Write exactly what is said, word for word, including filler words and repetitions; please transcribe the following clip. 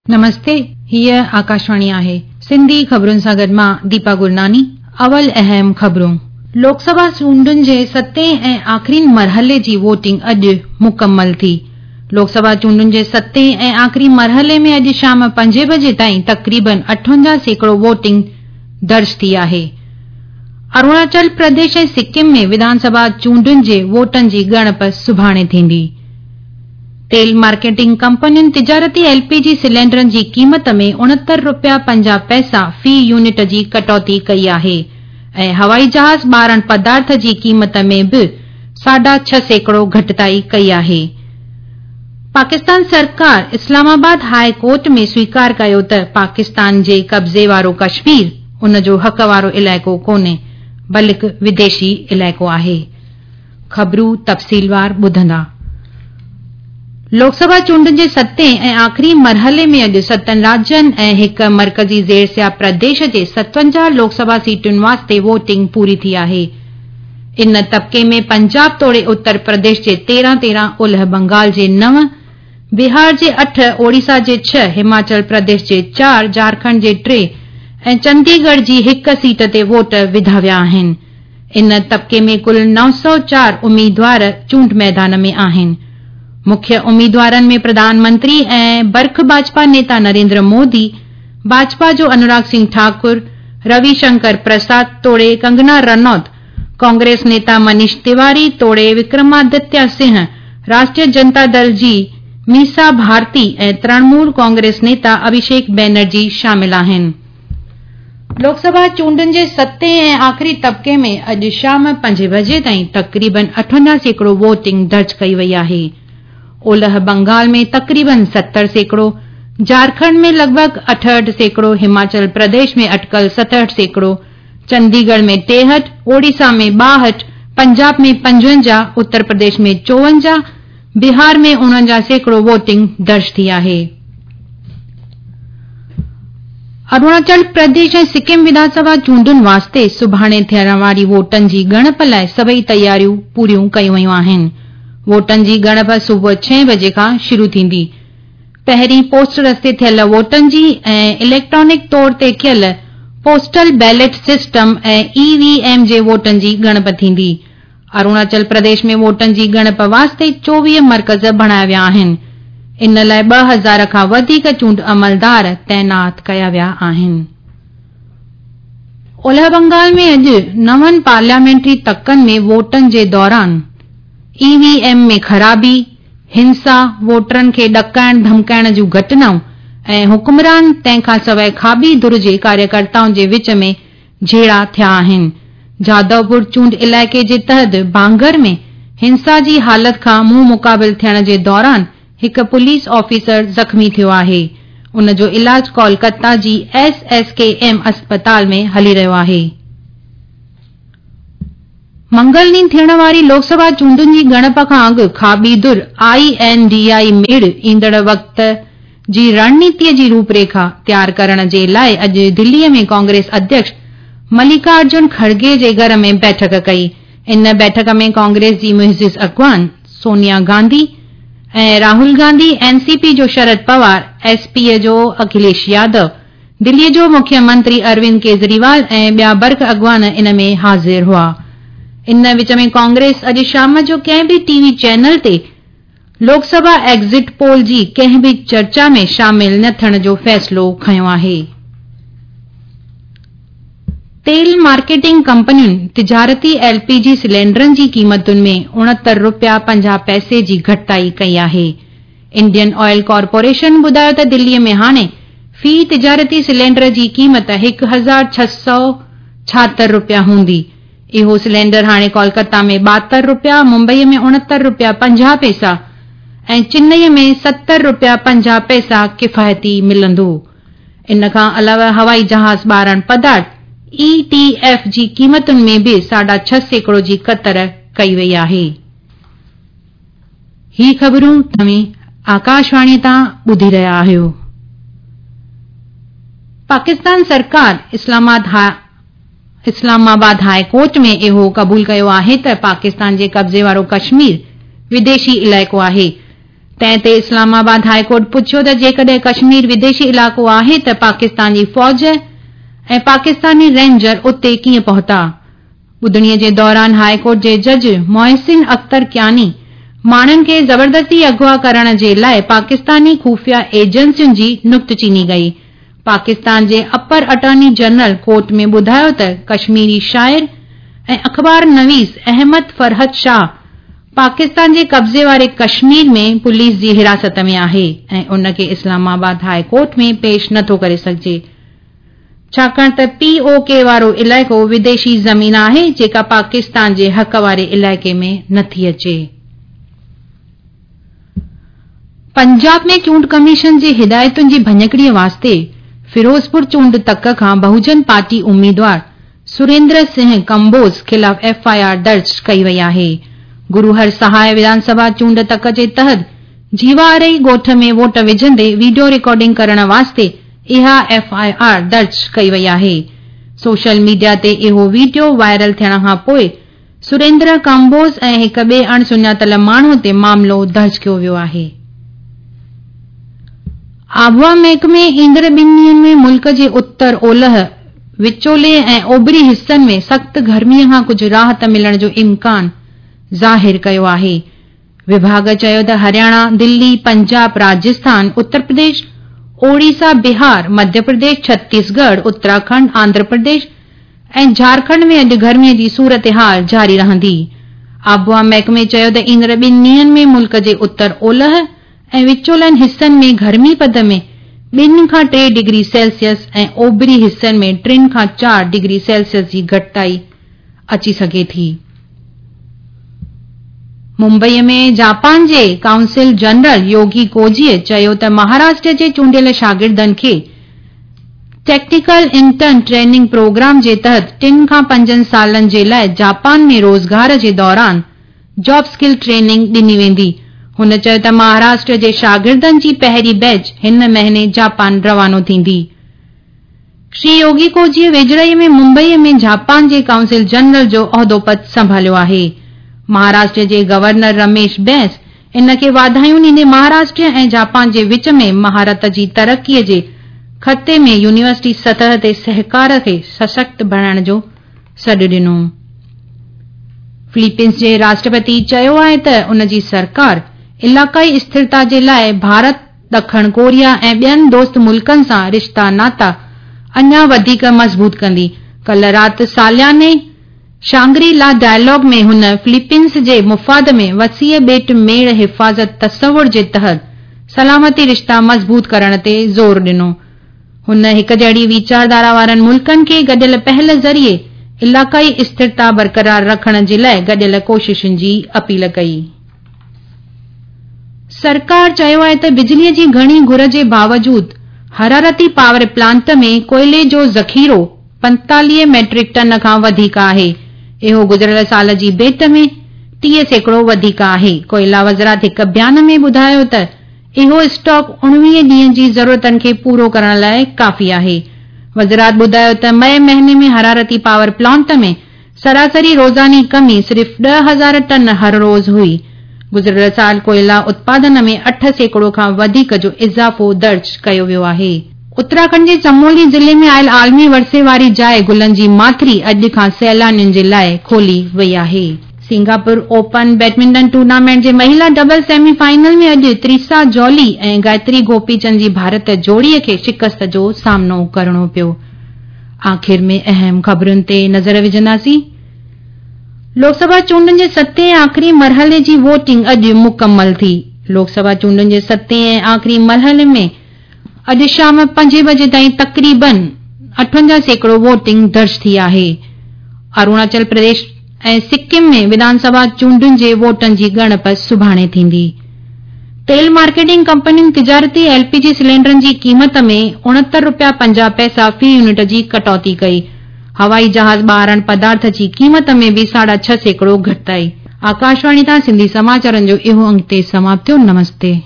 नमस्ते, हीअ आकाशवाणी आहे। सिंधी ख़बरुनि सां गॾु मां दीपा गुरनानी। अवल अहम ख़बरूं। लोकसभा चूंडुनि जे सतें ऐं आख़िरी मरहले जी वोटिंग अॼु मुकमल थी। लोकसभा चूंडुनि जे सतें ऐं आख़िरी मरहले में अॼु शाम पंजे बजे ताईं तक़रीबन अठवंजाह सैकड़ो वोटिंग दर्ज थी आहे। अरुणाचल प्रदेश ऐं सिक्किम में विधानसभा चूंडुनि जे वोटनि जी ॻणप सुभाणे थींदी। तेल मार्केटिंग कंपनियुनि तिजारती एलपीजी सिलेंडरनि जी क़ीमत में उणहतरि रुपया पंजाह पैसा फ़ी यूनिट जी कटौती कई आहे ऐं हवाई जहाज़ ॿारण पदार्थ जी क़ीमत में बि साढा छह सैकड़ो घटिताई कई आहे। पाकिस्तान सरकार इस्लामाबाद हाई कोर्ट में स्वीकार कयो त पाकिस्तान जे कब्ज़े वारो कश्मीर उन जो हक़ वारो इलाइक़ो कोन्हे, बल्कि विदेशी इलाइक़ो आहे। ख़बरूं तफ़सीलवार ॿुधंदा। लोकसभा चूंडुनि जे सतें ऐं आख़िरी मरहले में अॼु सतनि राज्यनि ऐं हिकु मर्कज़ी ज़ेर प्रदेश जे सतवंजाह लोकसभा सीटुनि वास्ते वोटिंग पूरी थी आहे। इन तबके में पंजाब तोड़े उत्तर प्रदेश जे तेरहं तेरहं, ओलह बंगाल जे नव, बिहार जे अठ, ओडिशा जे छह, हिमाचल प्रदेश जे चारि, झारखंड जे टे ऐं चंडीगढ़ जी हिकु सीट ते वोट विधा विया आहिनि। इन तबके में कुल नौ सौ चारि उम्मीदवार चूंड मैदान में आहिनि। मुख्य उम्मीदवारनि में प्रधानमंत्री ऐं बर्ख भाजपा नेता नरेंद्र मोदी, भाजपा जो अनुराग सिंह ठाकुर, रविशंकर प्रसाद तोड़े कंगना रनौत, कांग्रेस नेता मनीष तिवारी तोड़े विक्रमादित्य सिंह, राष्ट्रीय जनता दल जी मीसा भारती ऐं तृणमूल कांग्रेस नेता अभिषेक बैनर्जी शामिल आहिनि। लोकसभा चूंडुनि जे सतें ऐं आख़िरी तबके में अॼु शाम पंजे बजे ताईं तक़रीबन अठवंजाह सैकड़ो वोटिंग दर्ज कई वई आहे। ओलह बंगाल में तक़रीबन सत्तर सैकड़ो, झारखंड में लॻभॻि अठहठि सैकड़ो, हिमाचल प्रदेश में अटकल सतहठि सैकड़ो, चंडीगढ़ में टेहठि, ओडिशा में ॿाहठि, पंजाब में पंजवंजाह, उत्तर प्रदेश में चोवंजाह, बिहार में उणवंजाह सैकड़ो वोटिंग दर्ज थी आहे। अरुणाचल प्रदेश ऐं सिक्किम विधानसभा चूंडुनि वास्ते सुभाणे थियण वारी वोटनि जी ॻणप लाइ सभई तयारियूं पूरियूं कयूं वयूं आहिनि। वोटनि जी ॻणप सुबुह छह बजे खां शुरू थींदी। पहिरीं पोस्ट रस्ते थियल वोटनि जी ऐं इलेक्ट्रॉनिक तौर ते कयल पोस्टल बैलेट सिस्टम ऐं ईवीएम जे वोटनि जी ॻणप थींदी। अरुणाचल प्रदेश में वोटनि जी ॻणप वास्ते चोवीह मर्कज़ बणाया विया आहिनि। इन लाइ ॿ हज़ार खां वधीक चूंड अमलदार तैनात कया विया आहिनि। ओलह बंगाल में अॼु नवनि पार्लियामेंट्री तकनि में वोटनि जे दौरान ईवीएम में ख़राबी, हिंसा, वोटरनि खे ॾकाइण धमकाइण जूं घटनाऊं ऐं हुक्मरान तंहिंखां सवाइ खाॿी धुर जे कार्यकर्ताउनि जे विच में झेड़ा थिया आहिनि। जादवपुर चूंड इलाइक़े जे तहत बांगर में हिंसा जी हालत खां मुंहुं मुक़ाबिल थियण जे दौरान हिकु पुलिस ऑफिसर ज़ख़्मी थियो आहे। उन जो इलाज कोलकाता जी एस एस के एम अस्पताल में हली रहियो आहे। मंगल ॾींहुं थियण वारी लोकसभा चूंडुनि जी ॻणप खां अॻु खाॿी धुर I N D I मेड़ ईंदड़ वक़्त जी रणनीतीअ जी रूपरेखा तयार करण जे लाइ अॼु दिल्लीअ में कांग्रेस अध्यक्ष मल्लिकार्जुन खड़गे जे घर में बैठक कई। इन बैठक में कांग्रेस जी मुइज़िज़ अॻवान सोनिया गांधी ऐं राहुल गांधी, एनसीपी जो शरद पवार, एसपी जो अखिलेश यादव, दिल्लीअ जो मुख्यमंत्री अरविंद केजरीवाल ऐं ॿिया बर्ख अॻवान इन में हाज़िर हुआ। इन विच में कांग्रेस अॼु शाम जो कंहिं बि टीवी चैनल ते लोकसभा एग्ज़िट पोल जी कंहिं बि चर्चा में शामिल न थियण जो फ़ैसिलो खयो आहे। तेल मार्केटिंग कंपनियुनि तिजारती एलपीजी सिलेंडरनि जी क़ीमतुनि में उणहतरि रुपया पंजाह पैसे जी घटिताई कई आहे। इंडियन ऑयल कॉरपोरेशन ॿुधायो त दिल्लीअ में हाणे फ़ी तिजारती सिलेंडर जी क़ीमत हिकु हज़ार छह सौ छाहतरि रुपया हूंदी। इहो सिलेंडर हाणे कोलकाता में ॿाहतरि रुपया, मुंबई में उणहतरि रुपया पंजाह पैसा ऐं चेन्नई में सतरि रुपया पंजाह पैसा किफ़ायती मिलंदो। इन खां अलावा हवाई जहाज़ ॿारण पदार्थ ई टी एफ जी क़ीमतुनि में बि साढा छह सैकड़ो जी कतर कई वई आहे। ही ख़बरूं तव्हीं आकाशवाणी तां ॿुधी रहिया आहियो। पाकिस्तान सरकार इस्लामाबाद हाई कोर्ट में इहो क़बूल कयो आहे त पाकिस्तान जे कब्ज़े वारो कश्मीर विदेशी इलाइक़ो आहे। تنهن تي اسلام آباد هاء ڪورٽ پڇيو ته جيڪڏهن ڪشمير وديشي علائقو آهي ته پاڪستان جي فوج ۽ پاڪستاني رينجر اتي ڪيئن پهتا؟ ٻڌڻيء جي دوران هاء ڪورٽ جي جج محسن اختر ڪياني ماڻهن کي زبردستي اغوا ڪرڻ جي لاء پاڪستاني خفيه ايجنسين جي نڪته چيني ڪئي. پاڪستان جي اپر اٽارني جنرل ڪورٽ ۾ ٻڌايو ته ڪشميري شاعر ۽ اخبار نويس احمد فرحت شاهه پاڪستان جي قبضي واري ڪشمير ۾ پوليس جي حراست ۾ آهي ۽ ان کي اسلام آباد هاء ڪورٽ ۾ پيش نٿو ڪري سگهجي، ڇاڪاڻ ته پي او ڪي وارو علائقو وديشي زمين آهي جيڪا پاڪستان جي حق واري علائقي ۾ نٿي اچي. پنجاب ۾ چونڊ ڪميشن جي هدايتن جي ڀڃڪڙيء واسطي فيروزپور چونڊ تڪ کان بهوجن پارٽي اميدوار سريندر سنگهه ڪمبوز خلاف ايف I R درج ڪئي وئي آهي. گرو هر سهاءِ وڌان سڀا چونڊ تڪ جي تحت جيوارئي ڳوٺ ۾ ووٽ وجهندي وڊيو رڪارڊنگ ڪرڻ واسطي اها ايف I R درج ڪئي وئي آهي. سوشل ميڊيا تي اهو وڊيو وائرل ٿيڻ کان پوءِ سريندر ڪمبوز ۽ هڪ ٻئي اڻ سڃاتل ماڻهوءَ تي معاملو درج ڪيو ويو آهي. آبهوا محڪمي ايندڙ ٻن ڏينهن ۾ ملڪ جي اتر، اولهه، وچولي ۽ اوڀري حصن ۾ سخت گرميءَ کان ڪجهه راحت ملڻ جو امڪان ظاهر ڪيو آهي. وڀاڳ چيو ته هرياڻا، دلي، پنجاب، راجسٿان، اتر پرديش، اوڙيسا، بهار، مڌيه پرديش، ڇتيسڳڙهه، اتراکنڊ، آنڌرا پرديش ۽ جهارکنڊ ۾ اڄ گرميءَ جي صورتحال جاري رهندي. آبهوا محڪمي چيو ته ايندڙ ٻن ڏينهن ۾ ملڪ جي اتر، اولهه ۽ وچولن حصن ۾ گرمي پد ۾ ٻن کان ٽي ڊگري سيلسيس ۽ اوڀري حصن ۾ ٽن کان چار ڊگري سيلسيس جي گهٽتائي اچي سگهي ٿي. ممبئيءَ ۾ جاپان جي ڪائونسل جنرل يوگي ڪوجيءَ چيو ته مهاراشٽر جي چونڊيل شاگردن کي ٽيڪنيڪل انٽرن ٽريننگ پروگرام جي تحت ٽن کان پنجن سالن جي لاءِ جاپان ۾ روزگار جي دوران جاب اسڪل ٽريننگ ڏني ويندي. هن چيو ته مهاراشٽر جي شاگردن جي پهرين بيچ هن مهيني جاپان روانو ٿيندي. شري يوگي ڪوجيءَ ويجهڙائيءَ ۾ ممبئيءَ ۾ جاپان جي ڪائونسل جنرل جو عهدو پد سنڀاليو آهي. مهاراشٽر جي گورنر رميش بيس ان کي واڌايون ڏيندي مهاراشٽر ۽ جاپان جي وچ ۾ مهارت جي ترقيءَ جي خطي ۾ يونيورسٽي سطح تي سهڪار کي سشڪت بڻائڻ جو سڏ ڏنو. فلپينس جي راشٽرپتي چيو آهي ته ان جي سرڪار علائقائي اسٿرتا جي لاءِ ڀارت، ڏکڻ ڪوريا ۽ ٻين دوست ملڪن سان رشتا ناتا اڃا وڌيڪ مضبوط ڪندي. ڪالهه رات سالياني شانگري لا ڊائلاگ ۾ هن فلپينس جي مفاد ۾ وسيع ٻيٽ ميڙ حفاظت تصور جي تحت سلامتي رشتا مضبوط ڪرڻ تي زور ڏنو. هن هڪ جهڙي ويچارڌارا وارن ملڪن کي گڏيل پهل ذريعي علائقائي اسٿرتا برقرار رکڻ جي لاءِ گڏيل ڪوششن جي اپيل ڪئي. سرڪار چيو آهي ته بجليءَ جي گهڻي گهر جي باوجود حرارتي پاور پلانٽ ۾ ڪوئلي جو ذخيرو پنجيتاليهه ميٽرڪ ٽن کان وڌيڪ آهي. اهو گذريل سال جي ڀيٽ ۾ ٽيهه سيڪڙو وڌيڪ آهي. ڪوئلا وزارت هڪ بيان ۾ ٻڌايو ته اهو اسٽاڪ اڻويهه ڏينهن جي ضرورتن کي پورو ڪرڻ لاءِ ڪافي آهي. وزارت ٻڌايو ته مئي مهيني ۾ حرارتي پاور پلانٽ ۾ سراسري روزاني ڪمي صرف ڏهه هزار ٽن هر روز هئي. گذريل سال ڪوئلا اتپادن ۾ اٺ سيڪڙو کان وڌيڪ جو اضافو درج ڪيو ويو آهي. اتراکنڊ جي چمولي ضلعي ۾ آيل عالمي ورثي واري جاءِ گلن جي ماٿري اڄ کان سيلانين جي لاءِ کولي وئي آهي. سنگاپور اوپن بيڊمنٽن ٽورنامينٽ جي مهلا double semi final ۾ اڄ تريسا جولي ۽ گايتري گوپيچند جي ڀارت جوڙيءَ کي شڪست جو سامنو ڪرڻو پيو. آخر ۾ اهم خبرن تي نظر وجهنداسين. لوڪ سڀا چونڊن جي ستين ۽ آخري مرحلي جي ووٽنگ اڄ مڪمل ٿي. لوڪ سڀا چونڊن جي ستين ۽ آخري مرحلي ۾ اڄ شام پنجين بجي تائين تقريبن اٺونجاهه سيڪڙو ووٽنگ درج ٿي آهي. اروناچل پرديش ۽ سڪم ۾ وڌان سڀا چونڊن جي ووٽن جي ڳڻپ سڀاڻي ٿيندي. تيل مارڪيٽنگ ڪمپنين تجارتي ايل پي جي سلينڊرن جي قيمت ۾ اڻهتر رپيا پنجاهه پئسا في يونٽ جي ڪٽوتي ڪئي. هوائي جهاز ٻارڻ پدارٿ جي قيمت ۾ به ساڍا ڇهه سيڪڙو گهٽتائي. آڪاشواڻي تان سنڌي سماچارن جو اهو انگ تي سماپت ٿيو. نمستي.